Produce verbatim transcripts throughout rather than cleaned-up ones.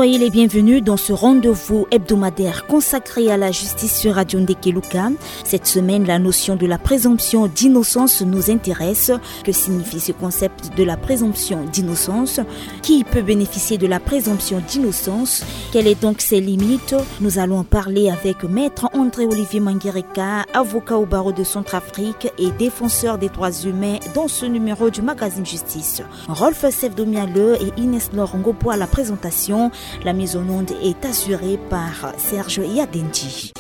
Soyez les bienvenus dans ce rendez-vous hebdomadaire consacré à la justice sur Radio Ndekeluka. Cette semaine, la notion de la présomption d'innocence nous intéresse. Que signifie ce concept de la présomption d'innocence ? Qui peut bénéficier de la présomption d'innocence ? Quelles sont donc ses limites ? Nous allons en parler avec Maître André-Olivier Mangereka, avocat au barreau de Centrafrique et défenseur des droits humains, dans ce numéro du magazine Justice. Rolf Sevdomialeu et Inès Laure Ngopo à la présentation. La mise en onde est assurée par Serge Yadendi.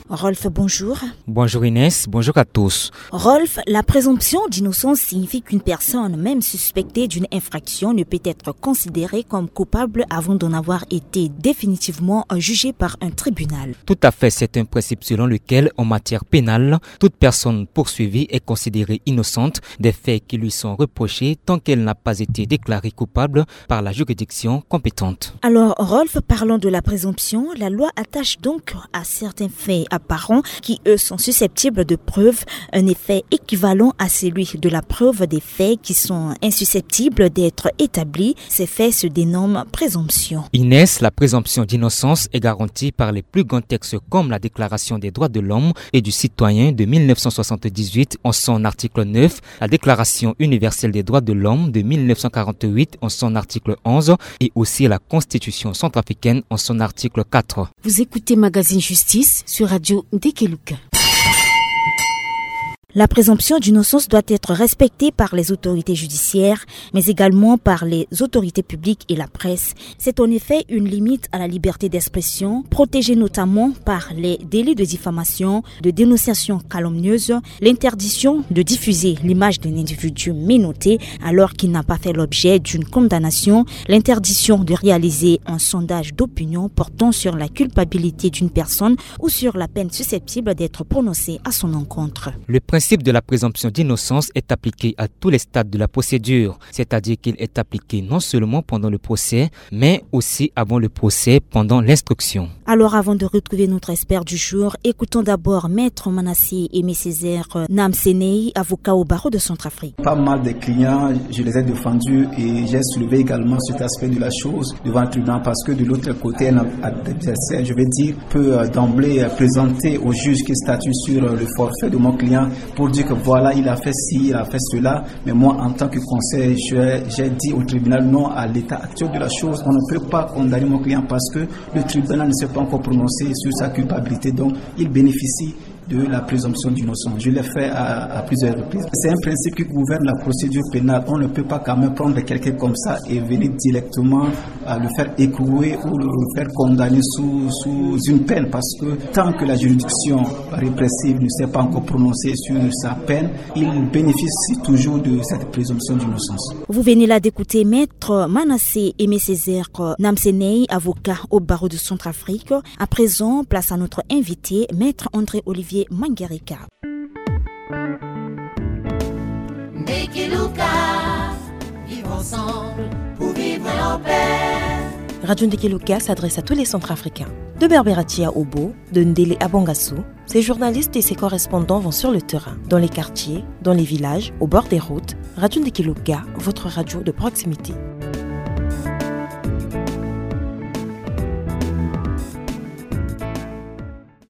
Rolf, bonjour. Bonjour Inès, bonjour à tous. Rolf, la présomption d'innocence signifie qu'une personne, même suspectée d'une infraction, ne peut être considérée comme coupable avant d'en avoir été définitivement jugée par un tribunal. Tout à fait, c'est un principe selon lequel, en matière pénale, toute personne poursuivie est considérée innocente des faits qui lui sont reprochés tant qu'elle n'a pas été déclarée coupable par la juridiction compétente. Alors, Rolf, parlons de la présomption. La loi attache donc à certains faits apparents qui, eux, sont susceptibles de preuve un effet équivalent à celui de la preuve des faits qui sont insusceptibles d'être établis. Ces faits se dénomment présomption. Inès, la présomption d'innocence est garantie par les plus grands textes comme la Déclaration des droits de l'homme et du citoyen de mille neuf cent soixante-dix-huit en son article neuf, la Déclaration universelle des droits de l'homme de mille neuf cent quarante-huit en son article onze et aussi la Constitution centrafricaine en son article quatre. Vous écoutez Magazine Justice sur Radio Ndekeluka. La présomption d'innocence doit être respectée par les autorités judiciaires, mais également par les autorités publiques et la presse. C'est en effet une limite à la liberté d'expression, protégée notamment par les délits de diffamation, de dénonciation calomnieuse, l'interdiction de diffuser l'image d'un individu menotté alors qu'il n'a pas fait l'objet d'une condamnation, l'interdiction de réaliser un sondage d'opinion portant sur la culpabilité d'une personne ou sur la peine susceptible d'être prononcée à son encontre. Le principe de la présomption d'innocence est appliqué à tous les stades de la procédure, c'est-à-dire qu'il est appliqué non seulement pendant le procès, mais aussi avant le procès, pendant l'instruction. Alors, avant de retrouver notre expert du jour, écoutons d'abord Maître Manassé Aimé Césaire Namsenei, avocat au barreau de Centrafrique. Pas mal de clients, je les ai défendus et j'ai soulevé également cet aspect de la chose devant le tribunal parce que de l'autre côté, un adversaire, je vais dire, peut, euh, d'emblée, euh, présenter au juge qui statue sur, euh, le forfait de mon client pour dire que voilà, il a fait ci, il a fait cela. Mais moi, en tant que conseiller, je, j'ai dit au tribunal non à l'état actuel de la chose. On ne peut pas condamner mon client parce que le tribunal ne s'est pas encore prononcé sur sa culpabilité. Donc, il bénéficie de la présomption d'innocence. Je l'ai fait à, à plusieurs reprises. C'est un principe qui gouverne la procédure pénale. On ne peut pas quand même prendre quelqu'un comme ça et venir directement, euh, le faire écrouer ou le faire condamner sous, sous une peine, parce que tant que la juridiction répressive ne s'est pas encore prononcée sur sa peine, il bénéficie toujours de cette présomption d'innocence. Vous venez là d'écouter Maître Manassé Aimé Césaire Namsenei, avocat au barreau de Centrafrique. À présent, place à notre invité, Maître André-Olivier Mangereka. Ndekeluka, vivre ensemble pour vivre en paix. Radio Ndekeluka s'adresse à tous les Centrafricains. De Berberatia Obo, de Ndele à Bangassou, ses journalistes et ses correspondants vont sur le terrain, dans les quartiers, dans les villages, au bord des routes. Radio Ndekeluka, votre radio de proximité.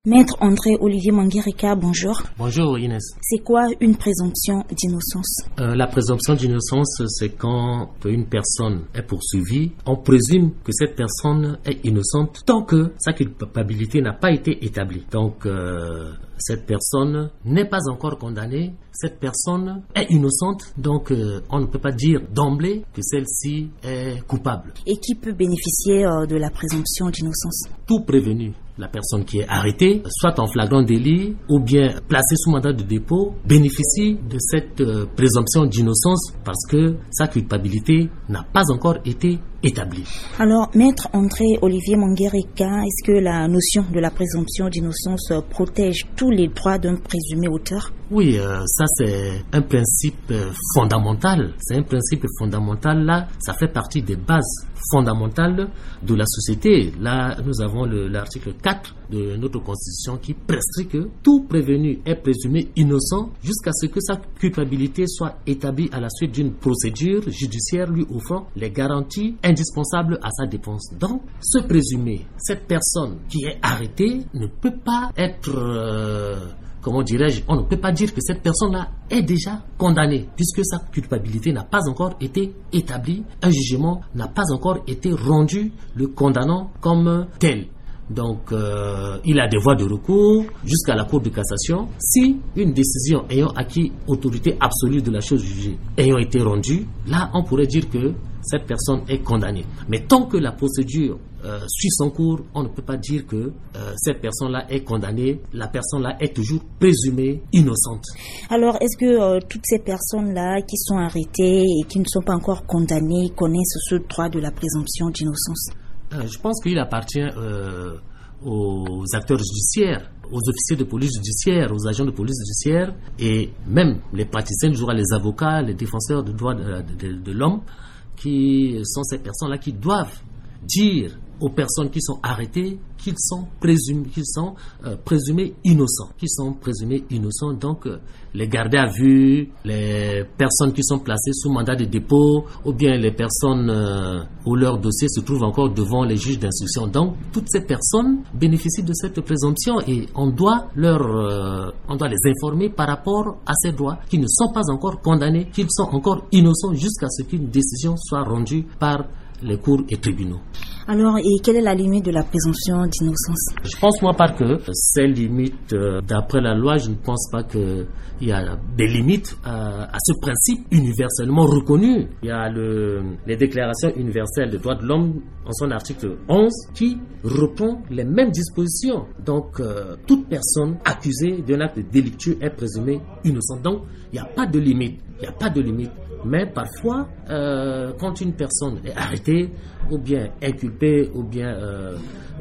Maître André-Olivier Mangereka, bonjour. Bonjour Inès. C'est quoi une présomption d'innocence ? Euh, la présomption d'innocence, c'est quand une personne est poursuivie, on présume que cette personne est innocente tant que sa culpabilité n'a pas été établie. Donc, euh, cette personne n'est pas encore condamnée, cette personne est innocente, donc, euh, on ne peut pas dire d'emblée que celle-ci est coupable. Et qui peut bénéficier, euh, de la présomption d'innocence ? Tout prévenu, la personne qui est arrêtée, soit en flagrant délit ou bien placée sous mandat de dépôt, bénéficie de cette, euh, présomption d'innocence parce que sa culpabilité n'a pas encore été établie. Alors, Maître André-Olivier Mangereka, est-ce que la notion de la présomption d'innocence, euh, protège tous les droits d'un présumé auteur ? Oui, euh, ça c'est un principe, euh, fondamental. C'est un principe fondamental là, ça fait partie des bases fondamentales de la société. Là, nous avons le, l'article quatre de notre constitution qui prescrit que tout prévenu est présumé innocent jusqu'à ce que sa culpabilité soit établie à la suite d'une procédure judiciaire lui offrant les garanties indispensables à sa défense. Donc, ce présumé, cette personne qui est arrêtée ne peut pas être, euh, comment dirais-je, on ne peut pas dire que cette personne-là est déjà condamnée, puisque sa culpabilité n'a pas encore été établie, un jugement n'a pas encore été rendu le condamnant comme tel. Donc, euh, il a des voies de recours jusqu'à la Cour de cassation. Si une décision ayant acquis autorité absolue de la chose jugée ayant été rendue, là, on pourrait dire que cette personne est condamnée. Mais tant que la procédure, euh, suit son cours, on ne peut pas dire que, euh, cette personne-là est condamnée. La personne-là est toujours présumée innocente. Alors, est-ce que, euh, toutes ces personnes-là qui sont arrêtées et qui ne sont pas encore condamnées connaissent ce droit de la présomption d'innocence ? Euh, je pense qu'il appartient, euh, aux acteurs judiciaires, aux officiers de police judiciaire, aux agents de police judiciaire et même les praticiens du droit, les avocats, les défenseurs de droits de, de, de l'homme, qui sont ces personnes-là qui doivent dire aux personnes qui sont arrêtées qu'ils sont présumés, qu'ils sont, euh, présumés innocents, qu'ils sont présumés innocents. Donc, euh, les gardés à vue, les personnes qui sont placées sous mandat de dépôt, ou bien les personnes, euh, où leur dossier se trouve encore devant les juges d'instruction. Donc, toutes ces personnes bénéficient de cette présomption et on doit leur, euh, on doit les informer par rapport à ces droits, qui ne sont pas encore condamnés, qu'ils sont encore innocents jusqu'à ce qu'une décision soit rendue par les cours et tribunaux. Alors, et quelle est la limite de la présomption d'innocence ? Je pense, moi, par que ces limites, euh, d'après la loi, je ne pense pas qu'il y a des limites à, à ce principe universellement reconnu. Il y a le, les déclarations universelles des droits de l'homme en son article onze qui reprend les mêmes dispositions. Donc, euh, toute personne accusée d'un acte délictueux est présumée innocente. Donc, il n'y a pas de limite. Il n'y a pas de limite. Mais parfois, euh, quand une personne est arrêtée, ou bien inculpée, ou bien, euh,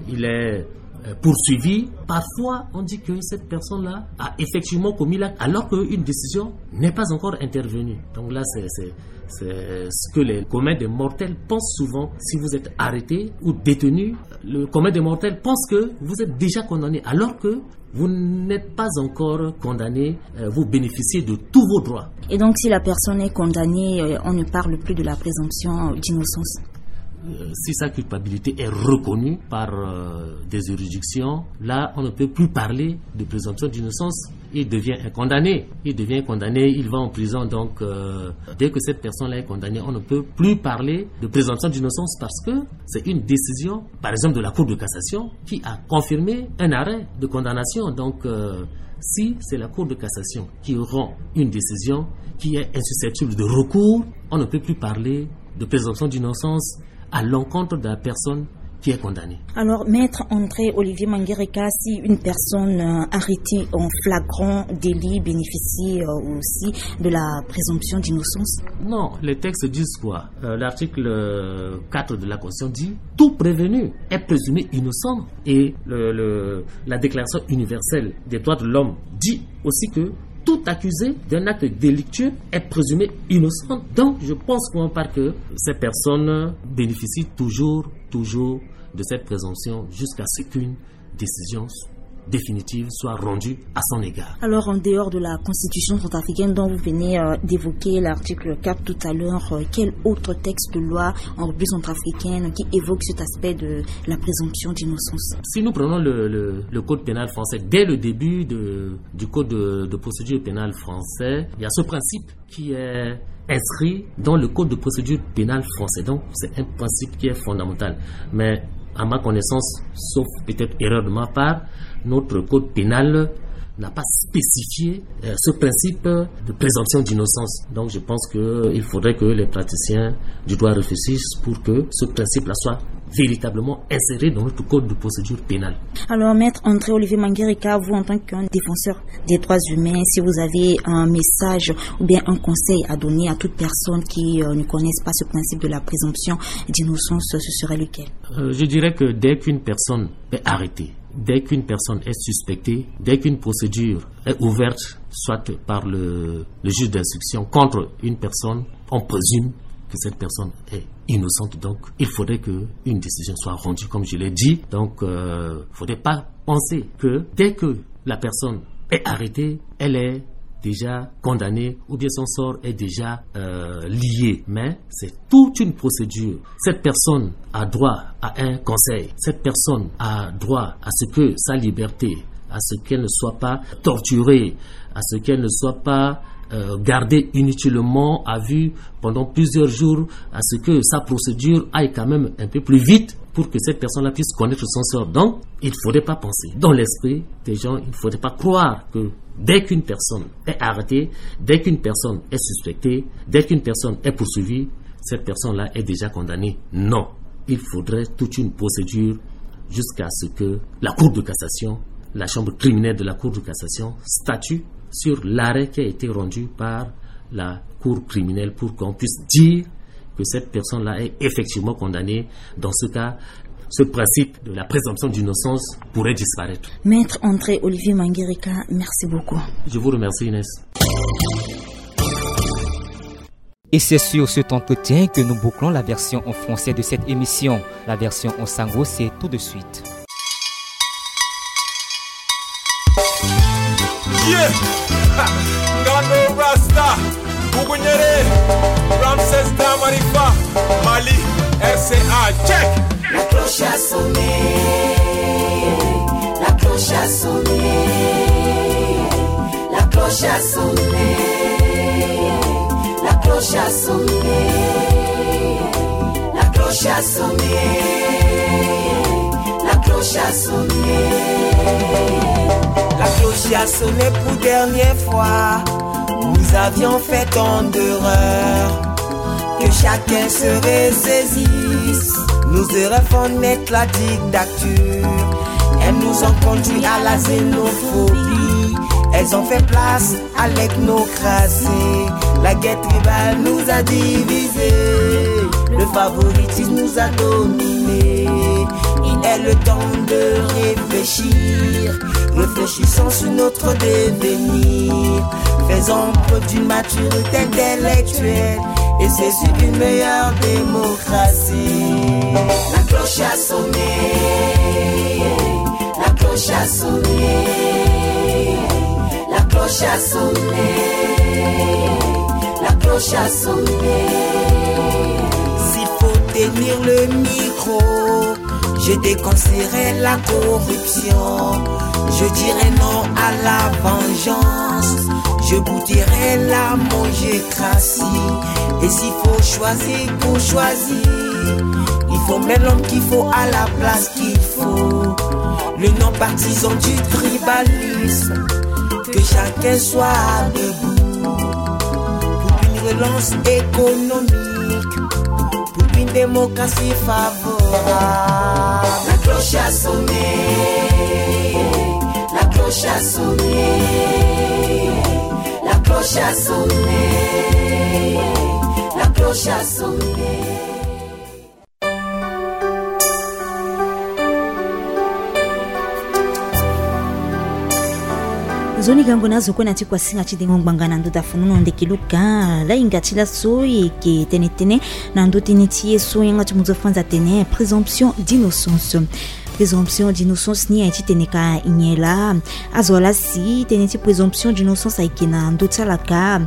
il est, euh, poursuivi, parfois on dit que cette personne-là a effectivement commis l'acte, alors qu'une décision n'est pas encore intervenue. Donc là, c'est, c'est, c'est ce que les communs des mortels pensent souvent. Si vous êtes arrêté ou détenu, le commun des mortels pense que vous êtes déjà condamné, alors que vous n'êtes pas encore condamné, euh, vous bénéficiez de tous vos droits. Et donc, si la personne est condamnée, euh, on ne parle plus de la présomption d'innocence ? Euh, si sa culpabilité est reconnue par, euh, des juridictions, là, on ne peut plus parler de présomption d'innocence. Il devient un condamné. Il devient condamné, il va en prison. Donc, euh, dès que cette personne-là est condamnée, on ne peut plus parler de présomption d'innocence parce que c'est une décision, par exemple, de la Cour de cassation qui a confirmé un arrêt de condamnation. Donc, euh, si c'est la Cour de cassation qui rend une décision qui est insusceptible de recours, on ne peut plus parler de présomption d'innocence à l'encontre de la personne qui est condamnée. Alors, Maître André Olivier Mangereka, si une personne, euh, arrêtée en flagrant délit bénéficie, euh, aussi de la présomption d'innocence ? Non, les textes disent quoi ? Euh, l'article, euh, quatre de la Constitution dit : tout prévenu est présumé innocent. Et le, le, la Déclaration universelle des droits de l'homme dit aussi que tout accusé d'un acte délictueux est présumé innocent. Donc, je pense pour ma part que ces personnes bénéficient toujours, toujours de cette présomption jusqu'à ce qu'une décision définitive soit rendue à son égard. Alors, en dehors de la Constitution centrafricaine dont vous venez, euh, d'évoquer l'article quatre tout à l'heure, euh, quel autre texte de loi en République centrafricaine qui évoque cet aspect de la présomption d'innocence ? Si nous prenons le, le, le code pénal français, dès le début de, du code de, de procédure pénale français, il y a ce principe qui est inscrit dans le code de procédure pénale français. Donc, c'est un principe qui est fondamental. Mais à ma connaissance, sauf peut-être erreur de ma part, notre code pénal n'a pas spécifié, euh, ce principe de présomption d'innocence. Donc, je pense que, euh, il faudrait que les praticiens du droit réfléchissent pour que ce principe-là soit véritablement inséré dans notre code de procédure pénale. Alors, Maître André Olivier Mangereka, vous, en tant qu'un défenseur des droits humains, si vous avez un message ou bien un conseil à donner à toute personne qui, euh, ne connaisse pas ce principe de la présomption d'innocence, ce serait lequel ? Euh, je dirais que dès qu'une personne est arrêtée, dès qu'une personne est suspectée, dès qu'une procédure est ouverte, soit par le, le juge d'instruction contre une personne, on présume que cette personne est innocente. Donc, il faudrait que une décision soit rendue, comme je l'ai dit. Donc, euh, faudrait pas penser que dès que la personne est arrêtée, elle est déjà condamnée ou bien son sort est déjà euh, lié. Mais c'est toute une procédure. Cette personne a droit à un conseil. Cette personne a droit à ce que sa liberté, à ce qu'elle ne soit pas torturée, à ce qu'elle ne soit pas euh, gardée inutilement à vue pendant plusieurs jours, à ce que sa procédure aille quand même un peu plus vite pour que cette personne-là puisse connaître son sort. Donc, il ne faudrait pas penser. Dans l'esprit des gens, il ne faudrait pas croire que dès qu'une personne est arrêtée, dès qu'une personne est suspectée, dès qu'une personne est poursuivie, cette personne-là est déjà condamnée. Non. Il faudrait toute une procédure jusqu'à ce que la Cour de cassation, la chambre criminelle de la Cour de cassation, statue sur l'arrêt qui a été rendu par la Cour criminelle pour qu'on puisse dire que cette personne-là est effectivement condamnée. Dans ce cas, ce principe de la présomption d'innocence pourrait disparaître. Maître André Olivier Mangereka, merci beaucoup. Je vous remercie, Inès. Et c'est sur cet entretien que nous bouclons la version en français de cette émission. La version en sango, c'est tout de suite. Yeah! Ngano Rasta, Bugunyere, Ramses Damarifa, Mali, R C A, check! La cloche a sonné, la cloche a sonné, la cloche a sonné, la cloche a sonné, la cloche a sonné, la cloche a sonné. La cloche a sonné pour dernière fois. Nous avions fait tant d'erreurs. Que chacun se ressaisisse. Nos erreurs font naître la dictature. Elles nous ont conduit à la xénophobie. Elles ont fait place à l'ethnocratie. La guerre tribale nous a divisés. Le favoritisme nous a dominés. Il est le temps de réfléchir. Réfléchissons sur notre devenir. Faisons preuve d'une maturité intellectuelle. Et c'est sur une meilleure démocratie. La cloche a sonné. La cloche a sonné. La cloche a sonné. La cloche a sonné. S'il faut tenir le micro, je déconseillerai la corruption. Je dirai non à la vengeance. Je goûterai la mangécratie. Et s'il faut choisir pour choisir, il faut mettre l'homme qu'il faut à la place qu'il faut. Le non partisan du tribalisme. Que chacun soit debout pour une relance économique, pour une démocratie favorable. La cloche a sonné, la cloche a sonné, la cloche a sonné, la cloche a sonné. Nzoni gango na zo kue na ti kuasinga ti dengo ngbanga na ndö da funu na ndeke luka. Lahinga ti laso e yeke tene tënë na ndö ti ni ti ye so yanga ti mu zo fanza atene présomption d'innocence. Présomption d'innocence ni aye ti tene ka nyen laa? Azo ala si tënë ti présomption d'innocence ayeke na ndö ti ala ka.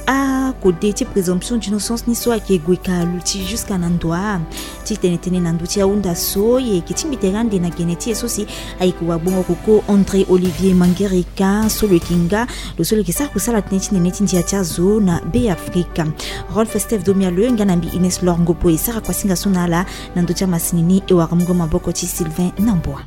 Akode ti présomption d'innocence ni so ayeke gue ka luti jusqu'à na ndoa. Ti tene tënë na ndö ti ahunda so e yeke ti mbi tere ande na gene ti e so si ayeke wagbongo koko André Olivier Mangereka so lo yeke nga lo so lo yeke sara kusala tënë ti nene ti ndia ti azo na Beafrika. Rolf Steph Domialeux nga na mbi Ines Lor Ngopo e sara kuasinga so na ala na ndö ti amasini ni e wara mungo maboko ti Sylvain Namboa.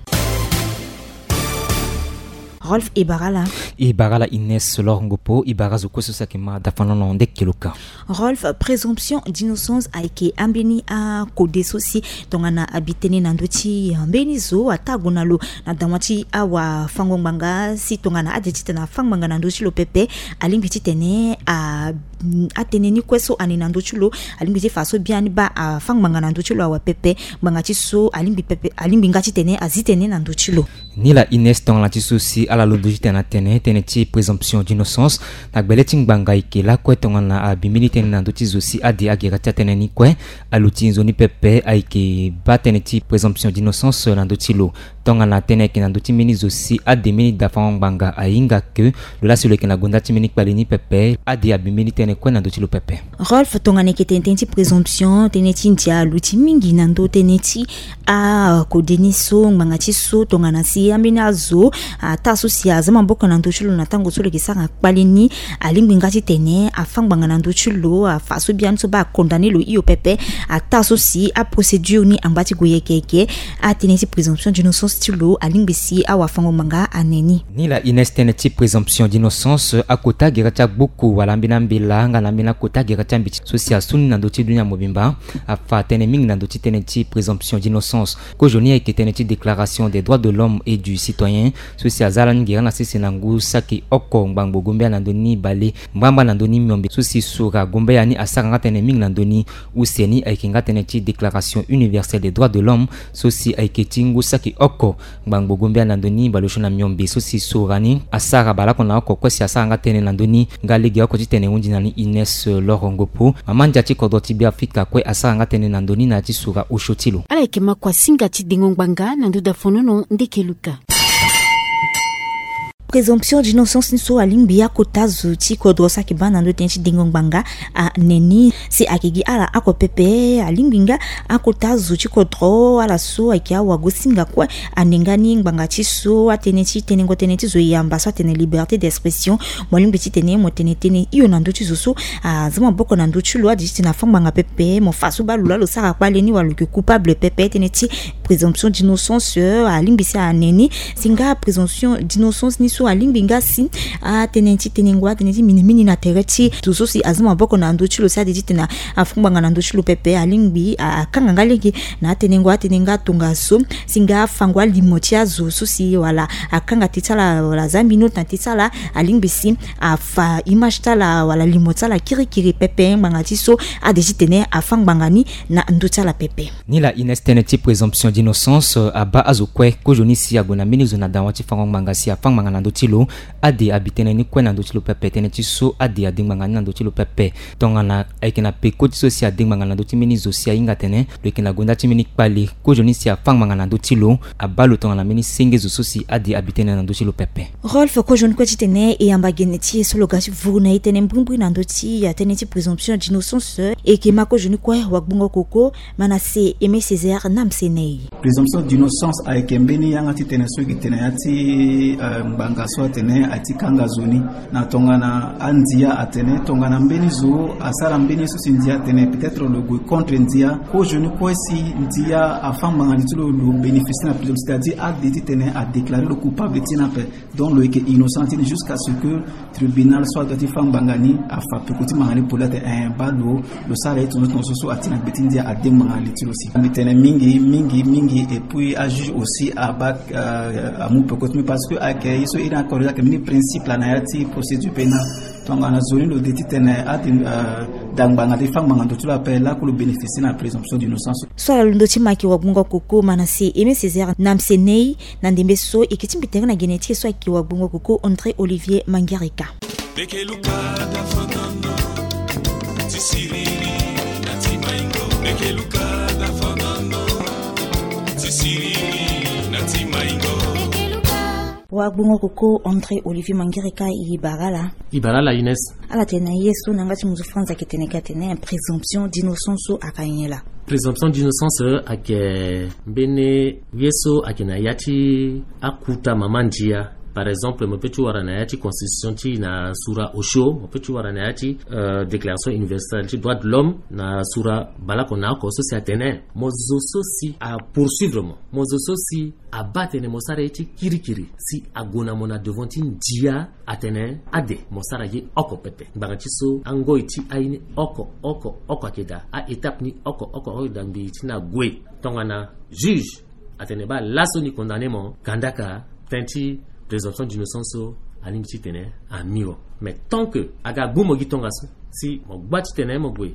Rolf, e bara ala. E bara ala Ines Lor Ngopo, e bara azo kue so si ayeke ma dafanono ndeke luka. Rolf, présomption d'innocence ayeke ambeni akode so si tongana abi tënë na ndö ti mbeni zo ataa gue na lo na dama ti awafango-ngbanga si tongana ade titene afa ngbanga na ndö ti lo pepe, alingbi titene a atënë ni kue so ane na ndö ti lo, alingbi ti fa so biani baa afa ngbanga na ndö ti lo awe pepe. Ngbanga ti so alingbi pepe, alingbi nga titene azi tënë na ndö ti lo. Ni la Ines, tongana ti so si Ala londo ti tene na tene tënë ti présomption d'innocence na gbele ti ngbanga ayeke lakue tongana abi mbeni tënë na ndö ti zo si ade agere ti atënë ni kue. Aluti nzoni pepe ayeke baa tënë ti présomption d'innocence na ndö ti lo. Tongana tënë ayeke na ndö ti mbeni zo si ade mbeni dafango ngbanga ahinga ke lo laa si lo yeke na gonda ti mbeni kpali ni pepe, ade abi mbeni tënë kue na ndö ti lo pepe. Rolf, tongana eke tene tënë ti présomption, tënë ti ndia aluti mingi na ndö tënë ti akode ni so ngbanga ti so tongana si ambeni azo ataa so si aza maboko na ndö ti lo na tango so lo yeke sara kpali ni, alingbi nga ti tene afâ ngbanga na ndö ti lo, afa so biani so baa akondane lo hio pepe. Ataa so si aprocédure ni angba ti gue yeke yeke, atënë ti présomption d'innocence ti lo alingbi si awafango ngbanga ane ni. Nilaa Inès, tënë ti présomption d'innocence, akota gere ti agbuku wala ambeni ambela nga na ambeni akota gere ti ambeti so si asu ni na ndö ti dunia mobimba, afa tënë mingi na ndö ti tënë ti présomption d'innocence. Kozoni ayeke tënë ti Déclaration des droits de l'homme et du citoyen, so si aza lani gere na sese na ngu saki oko ngbangbo gombe ya na ndö ni bale mbrambra na ndö ni miombe, so si sura gombe ya ni asara nga tënë mingi na ndö ni. Use ni ayeke nga tënë ti Déclaration universelle des droits de l'homme, so si ayeke ti ngu saki oko ngbangbo gombe ya na ndö ni bale osio na miombe, so si sura ni asara baleoko na oko kue si asara nga tënë na ndö ni. Nga lege oko ti tene hundi na ni Inès Loro Ngopo, mama ndia ti kodro ti Beafrika kue asara nga tënë na ndö ni na ya ti sura osio ti lo. Ala yeke ma kua singa ti dengo ngbanga na ndö dafonono ndeke luka. Présomption d'innocence ni so alingbi akota zo ti kodro so ayeke baa na ndö tënë ti dengo ngbanga ane ni. Si ayeke gi ala oko pepe, alingbi nga akota zo ti kodro, ala so ayeke awagosinga kue, ane nga ni ngbanga ti so atënë ti tenengo tënë ti zo yamba so atene liberté d'expression. Mo lingbi ti tene mo tene tënë hio na ndö ti zo so aza maboko na ndö ti lo, ade ti tene afâ ngbanga pepe, mo fa so baa lo laa lo sara kpale ni wala lo yeke coupable pepe, tënë ti présomption d'innocence, euh, alingbi si ane ni. Si nga présomption d'innocence ni so alingbi nga si atënë ti tenengo atënë ti minimini na tere ti zo so si aza maboko na ndö ti lo si ade ti tene afâ ngbanga na ndö ti lo pepe, alingbi a- akanga nga lege na atenengo atënë nga tongaso. Si nga afango alimo ti azo so si wala akanga teti ala wala aza mbeni ota na teti ala, alingbi si afa image ti ala wala limo ti ala kirikiri pepe ngbanga ti so ade ti tene afâ ngbanga ni na ndö ti ala pepe. Nilaa Inès, tënë ti présomption d'innocence, euh, abaa azo kue kozoni si ague na mbeni zo na dawa ti fango ngbanga si afâ ngbanga na ndö ti lo, ade abi tënë ni kue na ndö ti lo pepe, tënë ti so ade ade ngbanga ni na ndö ti lo pepe. Tongana ayeke na peko ti so si ade ngbanga na ndö ti mbeni zo si ahinga atene lo yeke na gonda ti mbeni kpale, kozoni si afâ ngbanga na ndö ti lo, abaa lo tongana mbeni senge zo so si ade abi tënë na ndö ti lo pepe. Rolf, kozoni kue ti tene e yamba gene ti e so lo ga ti vuru na e tënë mbrimbri na ndö ti atënë ti présomption d'innocence. E yeke ma kozoni kue wagbongo koko Manassé Aimé Césaire Namsenei. Présomption d'innocence ayeke mbeni yanga ti tene so e yeke tene ya ti, euh, ngbanga so atene aye ti kanga zo ni na tongana andia atene tongana mbeni zo asara mbeni so si ndia atene peut-être lo gue contre ndia, kozoni kue si ndia afâ ngbanga li ti lo, lo bénéficier na présomption, c'est-à-dire ade ti tene adéclarer lo coupable ti ni ape. Donc lo yeke innocent ti ni jusqu'à ce que tribunal so adoit ti fâ ngbanga ni afa peko ti ngbanga ni poli ate, eh, baa lo, lo sara ye tongaso tongaso so ati na gbe ti ndia ade ngbanga li ti lo si. Mbi tene mingi mingi mingi, et puis ajuge aussi abaa, euh, amu peko ti mbi parce que ayeke ye so e na corriger ayeke mbeni principe laa na ya ti procédure pénale. Tongana zo ni lo de ti tene ade, euh, da ngbanga ti fâ ngbanga ndo ti lo ape, lakue lo bénéficier na présomption d'innocence. So ala londo ti ma ayeke wagbongo koko Manassé Aimé Césaire Namsenei. Na ndembe so e yeke ti mbi tere na gene ti e so ayeke wagbongo koko André Olivier Mangereka. Wagbongo koko André Olivier Mangereka, e bara ala. E bara ala Inès. Ala tene na ye so na yanga ti munzu France ayeke tene ka tene présomption d'innocence so ayeke nyen laa? Présomption d'innocence ayeke mbeni ye so ayeke na ya ti akuta mama ndia. Par exemple, mo peut ti wara na ya ti constitution ti e na sura osio, mo peut ti wara na ya ti, euh, déclaration universelle ti droit de l'homme na sura baleoko na oko so si atene mo zo so si apoursuivre mo, mo zo so si abaa atene mo sara ye ti kirikiri si ague na mo na devant ti ndia atene ade mo sara ye oko pepe. Ngbanga ti so angoi ti aye ni oko oko oko ayeke daa, a-étape ni oko oko oko ayeke daa ngbii ti ni ague. Tongana juge atene baa laso ni condamner mo, kandaka tënë ti présomption d'innocence so alingbi ti tene ami wo. Mais tant que aga gbu mo gi tongaso si mo gba ti tene mo gue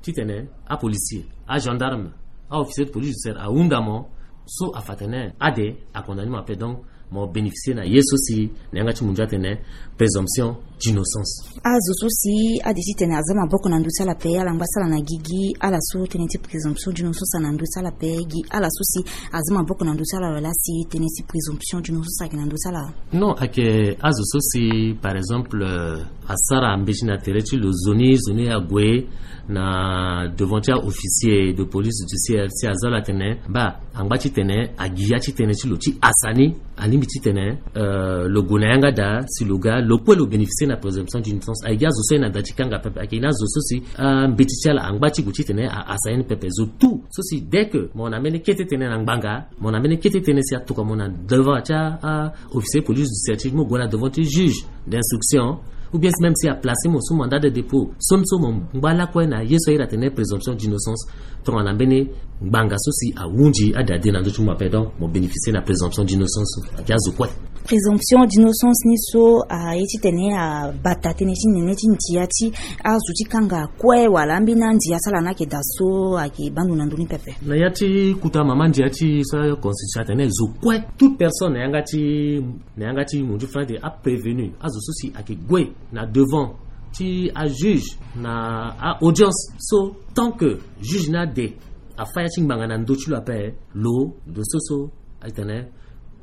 ti tene apolicier, agendarme, a-officier de police judiciaire ahunda mo, so afa atene ade acondamner mo ape. Donc mo bénéficier na ye so si na yanga ti munzu atene présomption d'innocence. Azo so si ade titene aza maboko na ndö ti ala ape, ala ngba ti ala na gigi, ala so tënë ti présomption d'innocence ayeke na ndö ti ala ape, gi ala so si aza maboko na ndö ti ala, wala si tënë ti présomption d'innocence ayeke na ndö ti ala? Non, ayeke azo so si, par exemple, euh, asara mbeti na tere ti lo, zo ni, zo ni ague na devant ti a-officier de police judiciaire, si aza lo atene, baa, angba titene agi ya ti tënë ti lo ti hasa ni, alingbi titene, euh, lo gue na yanga daa, si lo ga, lo kue lo bénéficier na présomption d'innocence. Ayeke azo so aye na da ti kanga pepe, ayeke ni azo so si, ah, mbeti ti ala angba ti gue titene ahasa ye ni pepe. Zo tout so si, dès que mo na mbeni kete tënë na ngbanga, mo na mbeni kete tënë si atokua mo na devant ti a, ah, officier police judiciaire ti mo gue na devant ti juge d'instruction, ou bien même si aplacer mo sous mandat de dépôt, so ni so mo ngba lakue na ye so ayeke atene présomption d'innocence, tongana mbeni ngbanga so si ahunzi ade ade na ndö ti mo ape, donc mo bénéficier na présomption d'innocence. Ayeke azo kue. Présomption d'innocence ni so aye titene abata tënë ti nene ti ndia ti azo ti kanga kue, wala ambeni andia ti ala ni ayeke daa so ayeke baa ndo na ndö ni pepe? Na ya ti kota mama ndia ti so constitution atene zo kue, toute personne na yanga ti, na yanga ti munzu fade, aprévenu, azo so si ayeke gue na devant ti ajuge na a-audience, so tant que juge ni ade afa ya ti ngbanga na ndö ti lo ape, lo, ndo so so atene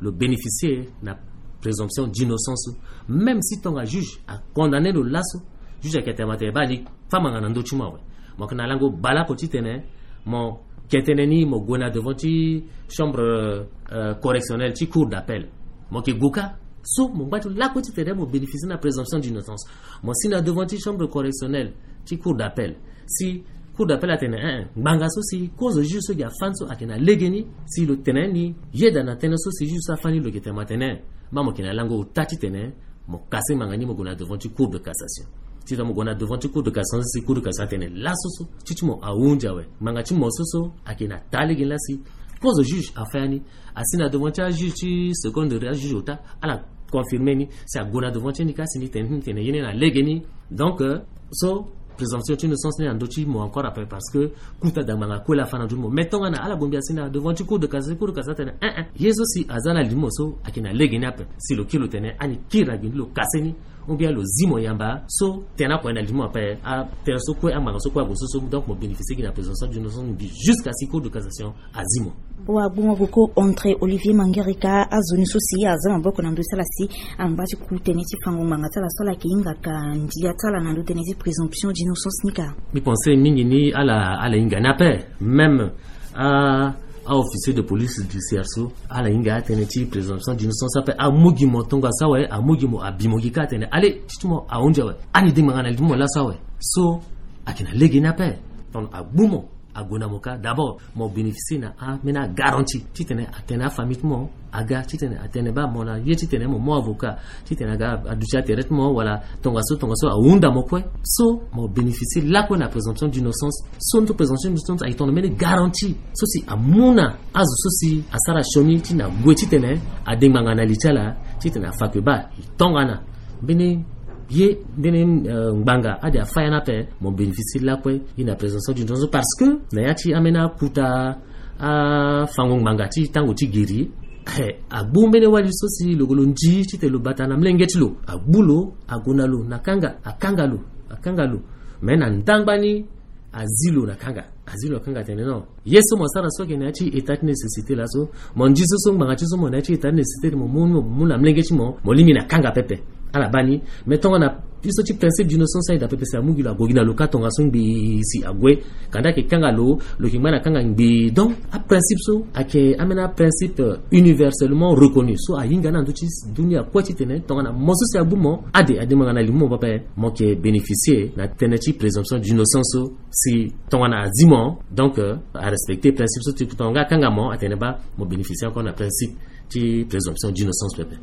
lo bénéficier na présomption d'innocence. Même si tonga juge acondamné lo laso, juge ayeke tene ma tene baa ni fa ngbanga na ndö ti mo awe, mo yeke na lango baleoko titene mo ke tënë ni, mo gue na devant ti chambre, euh, correctionnelle ti cour d'appel. Mo yeke gue kâ, so mo ngba ti lakue titene mo bénéficier na présomption d'innocence. Mo si na devant ti chambre correctionnelle ti cour d'appel, si cour d'appel atene, eh, eh, ngbanga so si kozo juge so gi afa ni so ayeke na legeni, si lo tene ni yeda na tënë so si juge so afa ni, lo yeke tene ma tene, ma mo yeke na lango ota titene mo kase ngbanga ni, mo gue na devant ti cour de cassation. Titene mo gue na devant ti cour de cassation, si cour de cassation atene laso so ti ti mo ahunzi awe, ngbanga ti mo so so ayeke na taa legeni laa si kozo juge afa ya ni. Asi na devant ti ajuge ti seconde degré, ajuge ota, ala confirmer ni, si ague na devant ti ni kâ si ni tene, ni tene ye ni na legeni. Donc, euh, so présomption ti innocence ni na ndö ti mo encore après, parce que kota da ngbanga kue laa afa na ndö ti mo. Mais tongana ala bongbi asi na devant ti cour de cassation, cour de cassation atene, eh, eh, ye so si aza na limo so ayeke na legeni ape, si lo kiri lo tene ani kiri na gbe ni, lo kase ni, ou bien lo zi mo yamba, so tënë oko aye na limo ape, atënë so kue, angbanga so kue ague so so, donc mo bénéficier gi na présomption d'innocence mbi jusqu'à si cour de cassation azi mo. Wa gbu mo goko André Olivier Mangerika, azo ni so si aza maboko na ndö ti ala si angba ti ku tënë ti fango ngbanga ti ala so ala yeke hingaka ndia ti ala na ndö tënë ti présomption d'innocence ni ka? Mbi pense mingi ni ala, ala hinga ni ape. Même a, a-officier de police judiciaire so, ala hinga atënë ti présomption d'innocence ape. Amu gi mo tongaso awe, amu gi mo, abi mo gi kâ atene allez, ti ti mo ahunzi awe, ani de ngbanga na limo laso awe. So ayeke na legeni ape. Donc agbu mo, ague na mo kâ. D'abord mo bénéficier na ambeni agarantie titene atene afamille ti mo aga, titene atene baa mo na ye titene mo mu avocat, titene aga aduti atere ti mo, wala tongaso tongaso ahunda mo kue. So mo bénéficier lakue na présomption d'innocence. So ni so présomption d'innocence ayeke tongana mbeni garantie so si amu na azo so si asara sioni ti na gue titene ade ngbanga na li ti ala, titene afa kue baa e tongana mbeni ye, mbeni, euh, ngbanga ade afa ya ni ape, mo bénéficier lakue gi na présomption d'innocence. Parce que na ya ti ambeni akota afango ngbanga ti tango ti giri, eh, agbu mbeni wali so si lo gue lo ndi titene lo bata na molenge ti lo, agbu lo, ague na lo na kanga, akanga lo, akanga lo. Mais na ndangba ni azi lo na kanga, azi lo na kanga atene non, ye so mo sara so ayeke na ya ti état ti nécessité laso. Mo ndi so so ngbanga ti so mo na ya ti état ti nécessité, mo mu, mo mu na molenge ti mo, mo lingbi na kanga pepe. Ala baa ni. Mais tongana ye so ti principe d'innocence aye daa pepe si amu gi lo, ague gi na lo kâ tongaso ngbii si ague. Kanda ayeke kanga lo, lo yeke ngba na kanga ngbii. Donc aprincipe so ayeke ambeni aprincipe, euh, universellement reconnu so ahinga na ndö ti dunia kue titene tongana mo so si agbu mo, ade ade ngbanga na limo mo pepe, mo yeke bénéficier na tënë ti présomption d'innocence so. Si tongana azi mo, donc, euh, arespecter principe so ti tongana nga akanga mo, atene baa mo bénéficier encore na principe ti présomption d'innocence pepe.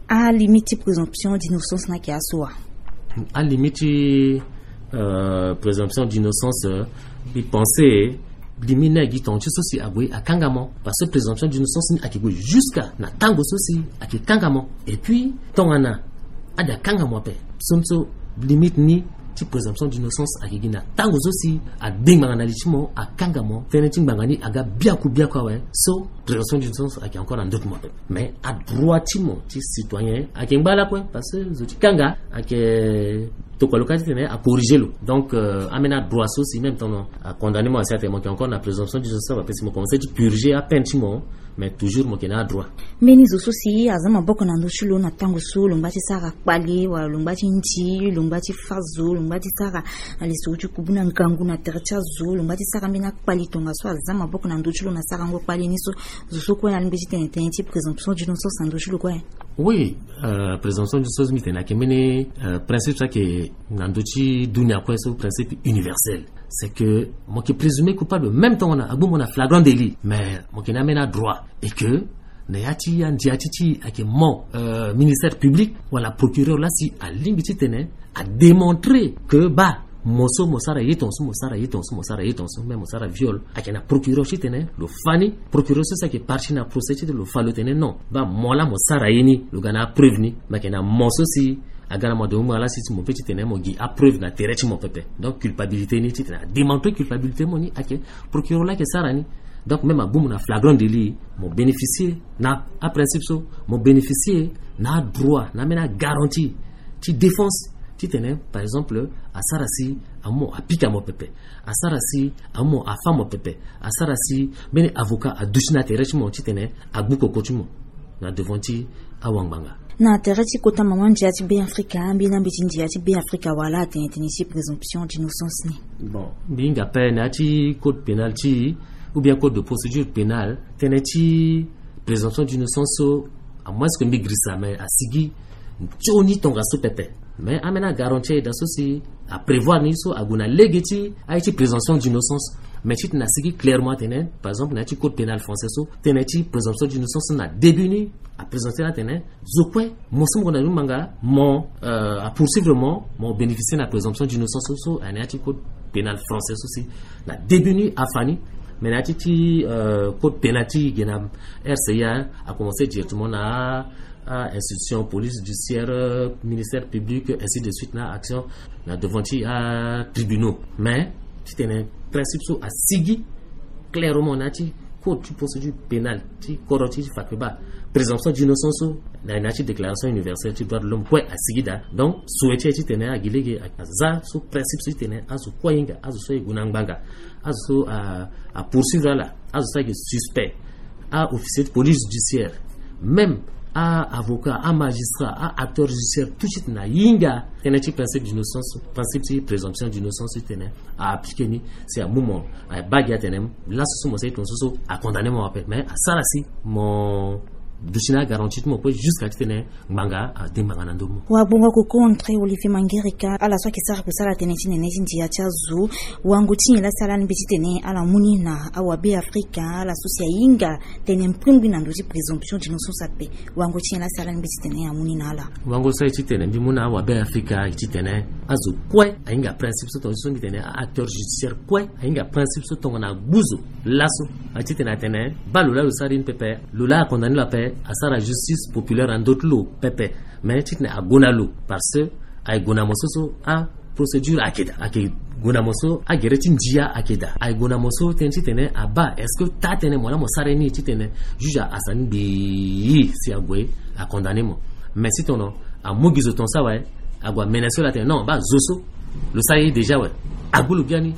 Alimite ti présomption d'innocence ni ayeke aso wa? Alimite ti, euh, présomption d'innocence, euh, mbi pense limite ni ayeke gi tonga ti so si ague akanga mo. Parce que présomption d'innocence ni ayeke gue jusqu'à na tango so si ayeke kanga mo. Et puis tongana ade akanga mo ape, so ni so limite ni ti présomption d'innocence ayeke gi na tango so si ade ngbanga na li ti mo, akanga mo, tënë ti ngbanga ni aga biaku biaku awe. So présomption d'innocence ayeke encore na ndoto mo ape. Mais adroit ti mo ti citoyen ayeke ngba lakue, parce que zo ti kanga ayeke tokua lo kâ titene acorrige lo. Donc euh, ambeni adroit so si même tongana acondamné mo asi atene mo yeke encore na présomption d'innocence, parce que mo commencé ti purger apeine ti mo. Mais toujours mo yeke na adroit. Mbeni zo so si aza maboko na ndö ti lo na tango so lo ngba ti sara kpale wala lo ngba ti ndi, lo ngba ti fâ zo, lo ngba ti sara na lisoro ti kubu na ngangu na tere ti azo, lo ngba ti sara mbeni akpale tongaso aza maboko na ndö ti lo na sarango kpale ni so, zo so kue na alingbi ti tene tënë ti présomption d'innocence na ndö ti lo kue. Oui, euh, présomption d'innocence mbi tene ayeke mbeni euh, principe so ayeke na ndö ti dunia kue so, principe universel. C'est que mo yeke présumé coupable même tongana agbu mo na flagrant délit, mais mo yeke na ambeni adroit. Et que na ya ti andia ti ti ayeke mo euh, ministère public wala procureur laa si alingbi titene adémontrer que baa mo so mo sara ye tongaso, mo sara ye tongaso, mo sara ye tongaso, même mo sara viol, ayeke na procureur titene lo fa ni. Procureur so si ayeke partie na procès titene lo fa lo tene non, baa mo laa mo sara ye ni, lo ga na apreuve ni. Mais ayeke na mo so si aga na mo adomo mo ala si ti mo pe titene mo gi apreuve na tere ti mo pepe. Donc culpabilité ni titene adémontrer culpabilité mo ni ayeke procureur laa ayeke sara ni. Donc même agbu mo na flagrant délit, mo bénéficier na aprincipe so, mo bénéficier na adroit, na ambeni agarantie ti défense titene par exemple asara si amu mo apika mo pepe, asara si amu mo afa mo pepe, asara si mbeni avocat aduti na tere ti mo titene agbu koko ti mo na devant ti awangbanga. Na tere ti kota mama ndia ti Beafrika, ambeni ambeti ndia ti Beafrika wala atene tënë ti présomption d'innocence ni? Bon, mbi hinga ape na ya ti code pénal ti ou bien code de procédure pénale, tënë ti présomption d'innocence so, à moins que mbi girisa, mais asigi nzoni tongaso pepe. Mais ambeni agarantie ayeke daa so si aprévoir ni so ague na lege ti aye ti présomption d'innocence. Mais titene asigi clairement atene par exemple na ya ti code pénal français so, tënë ti présomption d'innocence na début ni aprésenté ni atene zo kue mo so mo gue na ni ngbanga mo euh, apoursuivre mo, mo bénéficier na présomption d'innocence so, so ayeke na ya ti code pénal français so si na début ni afa ni. Mais na ya ti ti euh, code pénal ti ge na R C I A, akomencer directement na a institution, police judiciaire, euh, ministère public, ainsi de suite, na action na devant ti atribunaux. Mais titene principe so asigi clairement na ya ti code ti procédure pénale ti kodro ti ti fa kue baa présomption d'innocence so na ya ti déclaration universelle ti droit de l'homme kue asigi daa. Donc souhaité titene agi lege aza so principe so titene azo kue ahinga, azo so aye gue na ngbanga, azo so apoursuivre ala, azo so ayeke suspect, aofficier ti police judiciaire, même aavocat, amagistrat, aacteur judiciaire, tout de suite na hinga tënë ti principe d'innocence, principe ti présomption d'innocence titene aappliqué ni. Si amu mo, abaa gi atene laso so mo sara ye tongaso so, acondamné mo ape. Mais asara si mo duti na agarantie ti mo kue jusqu'à titene ngbanga ade ngbanga na ndö mo. Wagbongo ako contre Olivier Mangerika, ala so ayeke sara kusala tënë ti nene ti ndia ti azo. Wango ti nyen laa si ala lingbi titene ala mu ni na awabe Afrika, ala so si ahinga tënë mbrimbri na ndö ti présomption d'innocence ape? Wango ti nyen laa si ala lingbi titene amu ni na ala? Wango so aye titene mbi mu na awabe Afrika aye titene azo kue ahinga principe so tongana so mbi tene aacteur judiciaire kue ahinga principe so tongana agbu zo laso. Aye titene atene baa lo laa lo sara ye ni pepe, lo laa acondamné lo ape, asara justice populaire na ndö ti lo pepe. Mais titene ague na lo parce que aye gue na mo so so aprocédure ayeke daa, ayeke gue na mo so agere ti ndia ayeke daa, aye gue na mo so tënë titene abaa est-ce que taa tënë mo laa mo sara ye ni titene juge asa ni ngbii si ague acondamné mo. Mais si tongana amu gi zo tongaso awe, ague amenacé lo atene non, baa zo so lo sara ye déjà awe, agbu lo biani,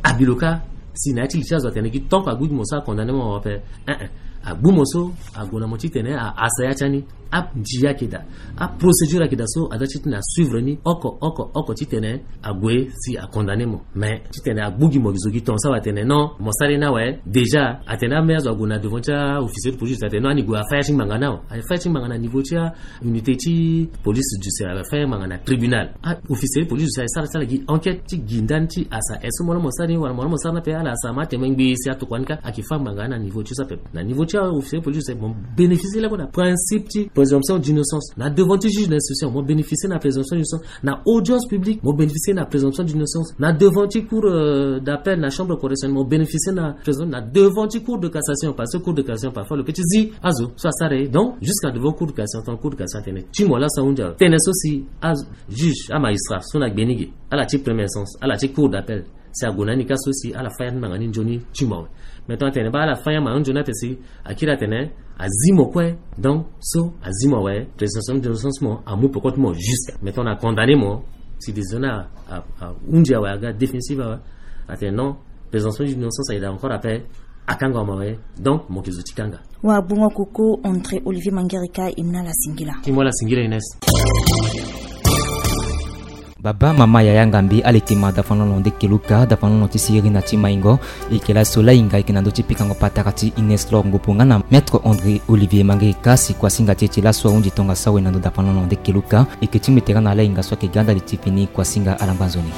abi lo kâ. Si na ya ti li ti azo atene gi tant que agbu gi mo so acondamné mo ape. Eh eh. Agbu mo so ague na mo titene aasa ya ti ani. Andia ayeke daa, aprocédure ayeke daa so aza titene asuivre ni oko oko oko titene ague si acondamné mo. Mais titene agbu gi mo zo gi tongaso awe atene non, mo sara ye ni awe, déjà atene ambeni azo ague na devant ti aofficier de police atene non, ani gue afa ya ti ngbanga ni awe. Afa ya ti ngbanga na niveau ti aunité ti police judiciaire, afa ya ngbanga na tribunal. Aofficier de police judiciaire asara ti ala gi enquête ti gi ndani ti asa est-ce que mo laa mo sara ni wala mo laa mo sara ni ape. Ala asa ma atene ngbii si atokua ni kâ, ayeke fa ngbanga na niveau ti so ape. Na niveau Ti aofficier police, mo bénéficier lakue na principe ti présomption d'innocence na devant ti juge d'instruction, mo bénéficier na présomption d'innocence na audience publique, mo bénéficier na présomption d'innocence na devant ti cour, euh, d'appel, na chambre correctionnelle, mo bénéficier na présomption na devant ti cour de cassation, parce que cour de cassation parfois lo peut ti zi azo so asara ye. Donc jusqu'à devant cour de cassation, tant cour de cassation atene ti mo laso ahunzi awe, tene so si azo, juge, amagistrat so na gbe ni ge, ala ti première instance, ala ti cour d'appel, si ague na ni ka so si ala fâ ya ni manga ni nzoni ti mo awe. Maintenant atene baa ala fâ ya manga ni nzoni ape si akiri atene azi mo kue. Donc so azi mo awe, présomption d'innocence mo amu peko ti mo jusqu'à maintenant na condamné mo. Si décision ni a, a, ahunzi awe, aga définitive awe, atene non, présomption d'innocence ayeda encore ape, akanga mo awe. Donc mo ke zo ti kanga. Wagbongo koko André Olivier Mangerika, e mu na ala singila. Ti mo ala singila Ines. Baba, mama, yaya, ngambi, ala yeke ma dafanono nde keluka, dafanono ti siriri na ti maingo. E yeke laso lahinga, e yeke na ndö ti pikango patara ti Ines Lor Ngupu nga na Maître André Olivier Mangerika si kuasinga ti e ti laso ahunzi tongaso awe na ndö dafanono nde keluka. E yeke ti mbi tere na lahinga so ayeke ga ndali ti fini. Kuasinga, ala ngba nzoni.